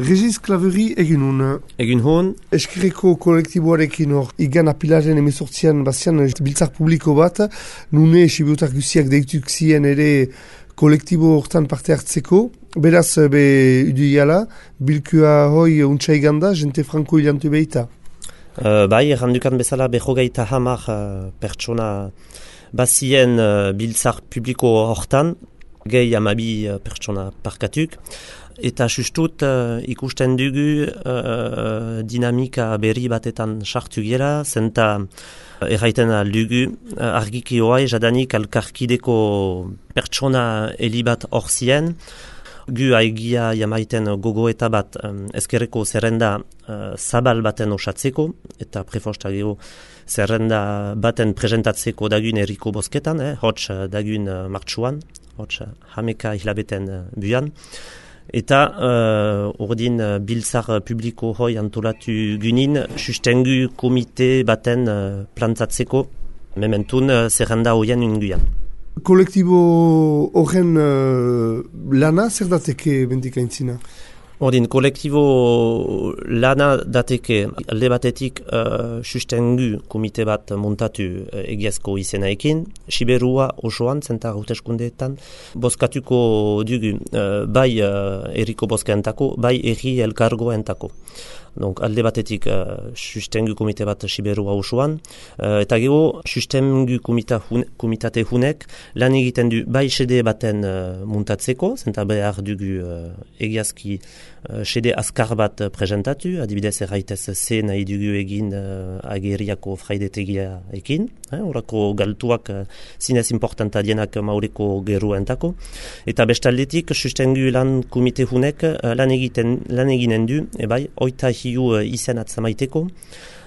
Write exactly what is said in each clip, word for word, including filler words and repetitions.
Regis Klaveri egin hon. Egin hon. Eskerreko kolektiboarekin hor, igan apilaren emezortzian bazian biltzak publiko bat, nune sibiutak guziak deituk zien ere kolektibo hortan parte hartzeko. Beraz, be, uduiala, bilkua hoi untsa iganda, jente franko hilantu behita. Uh, bai, errandukan bezala behogeita hamar uh, pertsona bazien uh, biltzak publiko hortan, gehi amabi uh, pertsona parkatuk. Eta sustut uh, ikusten dugu uh, dinamika berri batetan sartu gira, zenta uh, erraiten aldugu uh, argiki hoai jadanik alkarkideko pertsona helibat hor zien, gu aigia jamaiten gogoeta bat um, ezkerreko zerrenda uh, zabal baten osatzeko, eta prefosta gero zerrenda baten presentatzeko dagun erriko bosketan, eh, hots dagun uh, martxuan, hots hameka hilabeten uh, buan. Eta uh, ordin uh, biltzar publiko hoi antolatu gunin, sustengu komite baten uh, plantatzeko, mementun uh, zerrenda hoien unguian. Kolektibo horren uh, lana zer dateke bendikaintzina? Ordin, kolektibo lana dateke alde batetik uh, sustengu komite bat montatu uh, egiazko izenaekin, Siberua osoan, zenta hauteskundeetan, bozkatuko dugu uh, bai uh, erriko bozkaentako, bai erri elkargoentako. Donc, alde batetik uh, sustengu komite bat Siberua osoan, uh, eta gero sustengu hun, komitate hunek lan egiten du bai sede baten uh, montatzeko, zenta behar dugu uh, egiazki uh, sede azkar bat uh, presentatu, adibidez erraitez ze nahi dugu egin uh, ageriako fraidetegia ekin, eh, orako galtuak uh, zinez importanta dienak maureko geruentako, eta bestaldetik sustengu lan komite hunek uh, lan, egiten, lan eginen du, ebai, oita hiu izen atzamaiteko,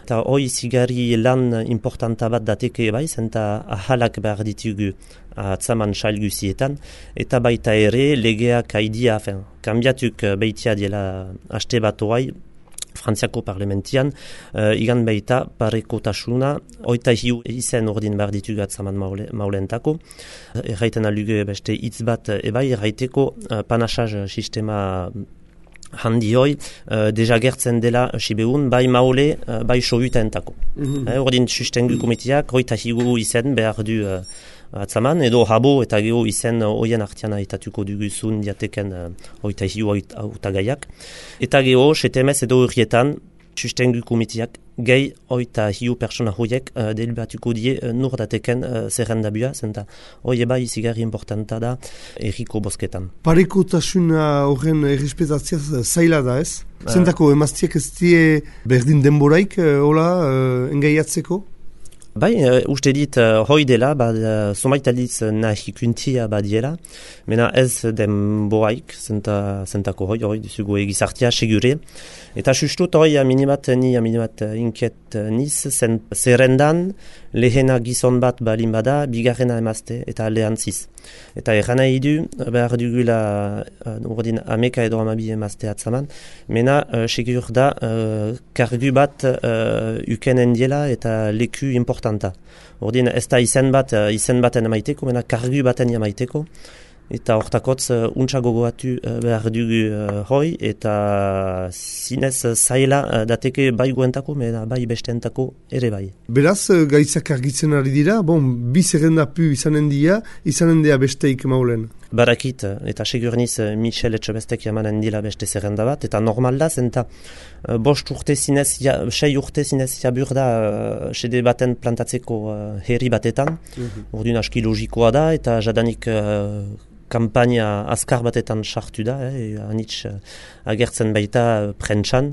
eta hoi zigari lan importanta bat dateke bai, zenta ahalak behar ditugu atzaman sail guzietan, eta baita ere legeak haidia, fen, kambiatuk beitia diela haste bat hoai, Frantziako parlamentian, uh, igan baita parekotasuna, oita hiu izen ordin behar ditugu atzaman maule, maulentako. Erraiten aluge beste hitz bat ebai, erraiteko uh, panasaz sistema handi hoi, uh, deja gertzen dela sibeun, bai maule, uh, bai sohutaentako. Mm-hmm. Eh, ordin sustengu komiteak, oita hiu izen behar du uh, atzaman, edo habo eta geho izen hoien artiana etatuko duguzun diateken uh, oita hiu autagaiak. Eta geho, setemez edo horietan, sustengu komiteak, gehi oita hiu persona hoiek uh, delibatuko die uh, nur dateken uh, zerrendabua, zenta hoi eba izigarri importanta da erriko bosketan. Parekotasuna horren errespetatzea zaila da ez? Uh. Zentako emaztiak ez die berdin denboraik uh, hola uh, engaiatzeko? Bai, uh, uste dit uh, hoi dela, bad, uh, somaitaliz nahi kuntia badiela, mena ez denboraik, zenta, zentako hoi, hoi duzugu egizartia segure. Eta sustut hoi aminimat ni aminimat inkiet niz, zen zerrendan lehena gizon bat balin bada, bigarrena emazte eta lehantziz. Eta erran nahi du, behar dugula uh, ordin ameka edo amabi emazte atzaman, mena uh, segur da uh, kargu bat uh, ukenen diela eta leku importanta. Ordin ez da izen bat, uh, izen baten amaiteko, mena kargu baten amaiteko. Eta hortakotz uh, untsa gogoatu uh, behar dugu uh, hoi, eta zinez uh, zaila uh, dateke bai guentako, mena bai besteentako ere bai. Beraz, uh, gaitzak argitzen ari dira, bon, bi zerrendapu izanen dia, izanen dia besteik maulen. Barakit, eta segurniz uh, Michel Etxebestek jamanen dila beste zerrenda bat, eta normal da, zenta uh, bost urte zinez, ja, sei urte zinez jabur da uh, sede baten plantatzeko uh, herri batetan, mm-hmm. Ordun aski logikoa da, eta jadanik uh, kampaina azkar batetan sartu da, eh, anitz uh, agertzen baita uh, prentsan,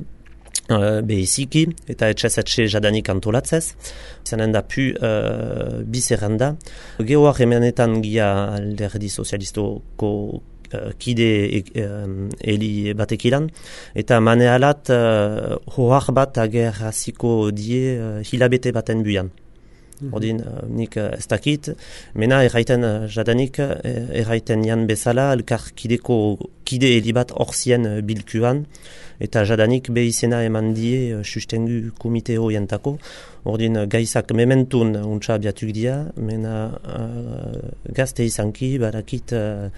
uh, behiziki, eta etxez-etxe jadanik antolatzez. Izanen da pu uh, bizerranda. Gehoak hemenetan gia alderdi sozialistoko uh, kide uh, heli batekilan, eta manealat uh, hoar bat agerraziko die uh, hilabete baten buian. Ordin, uh, nik uh, ez dakit, mena erraiten uh, jadanik, uh, erraiten jan bezala, elkar kideko kide helibat orzien uh, bilkuan, eta jadanik behizena eman die uh, sustengu komite hoientako. Ordin, uh, gaizak mementun uh, untsa abiatuk dia, mena uh, gazte izanki, barakit uh,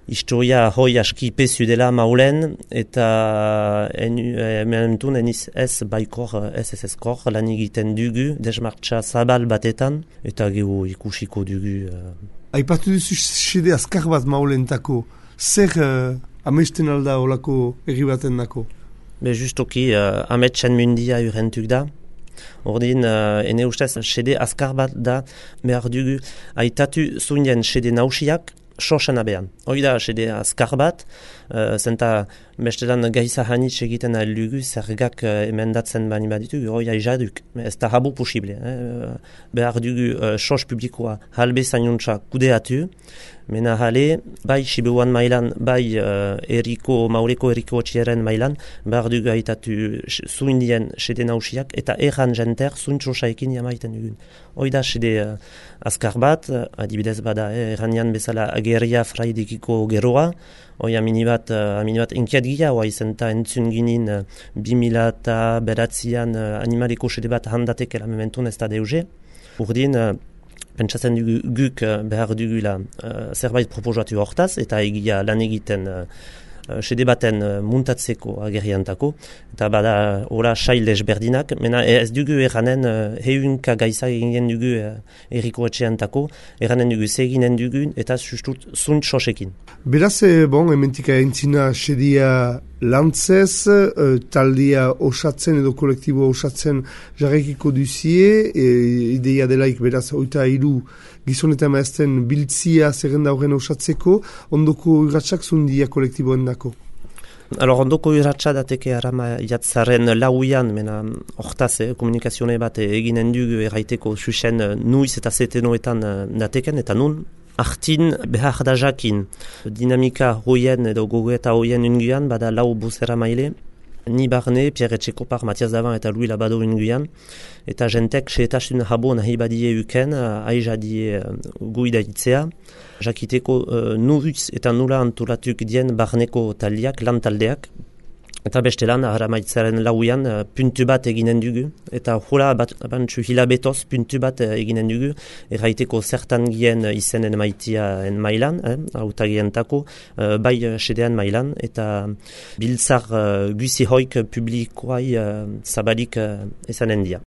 historia hoi aski pezu dela maulen, eta hementun eniz ez baikor, ez ez ezkor, lan egiten dugu, desmartxa zabal batetan, eta gehu ikusiko dugu. Uh... Aipatu duzu sede azkar bat maulentako, zer uh, amesten alda olako erri baten dako? Be justoki, uh, ametsen mundia urentuk da. Ordin, uh, ene ustez, sede azkar bat da, behar dugu, aitatu zuinen sede nausiak, sosan abean. Hoi da, sede azkar bat, uh, zenta bestelan gaiza hanitz egiten aldugu, zergak uh, emendatzen bani baditu, hoi aizaduk, ez da habu posible. Eh? Behar dugu uh, sos publikoa halbe zainuntza kudeatu, mena hale, bai Sibiruan mailan, bai uh, eriko, maureko eriko txieren mailan, behar dugu aitatu zuindien sede nausiak, eta erran jenter zuintxosaekin jamaiten dugun. Hoi da, sede uh, azkar bat, uh, adibidez bada, eh, erranian bezala ageria fraidekiko geroa, hoi amini bat, uh, amini bat enkiat gira, hoa izenta entzun ginin uh, bimila eta beratzian uh, animaliko sede bat handatekela mementun ez da deuze. Urdin, uh, pentsatzen dugu guk uh, behar dugula uh, zerbait proposatu hortaz, eta egia lan egiten uh, sede baten uh, muntatzeko ageriantako, eta bada ora sail desberdinak, mena ez dugu erranen uh, heunka gaisa eginen dugu uh, erriko etxeantako, erranen dugu zeginen dugun, eta sustut zunt sosekin. Beraz, bon, ementika entzina sedia lantzez, uh, taldia osatzen edo kolektibo osatzen jarrekiko duzie, e, ideia delaik beraz oita hiru gizon eta maazten biltzia zerrenda horren osatzeko, ondoko urratsak zundia kolektiboen dako? Alors, ondoko urratsa dateke arama jatzaren lauian, mena hortaz, eh, komunikazione bat eginen dugu erraiteko susen nuiz eta zetenoetan dateken, eta nun, artin behar da jakin. Dinamika hoien edo gogoeta hoien unguan, bada lau buzera maile, ni barne, Pierre Etxekopar, Matias Davan eta Louis Labado unguan, eta jentek seetasun habo nahi badie uken, aizadie guida itzea, jakiteko uh, nuruz eta nula antolatuk dien barneko taldeak, lan taldeak, eta beste lan, aramaitzaren lauian, uh, puntu bat eginen dugu, eta hola bat, bantzu hilabetoz puntu bat uh, eginen dugu, erraiteko zertan gien izenen maitia en mailan, eh, autagientako, uh, bai uh, sedean mailan, eta biltzar uh, guzi hoik publikoai uh, zabalik uh, ezanen dia.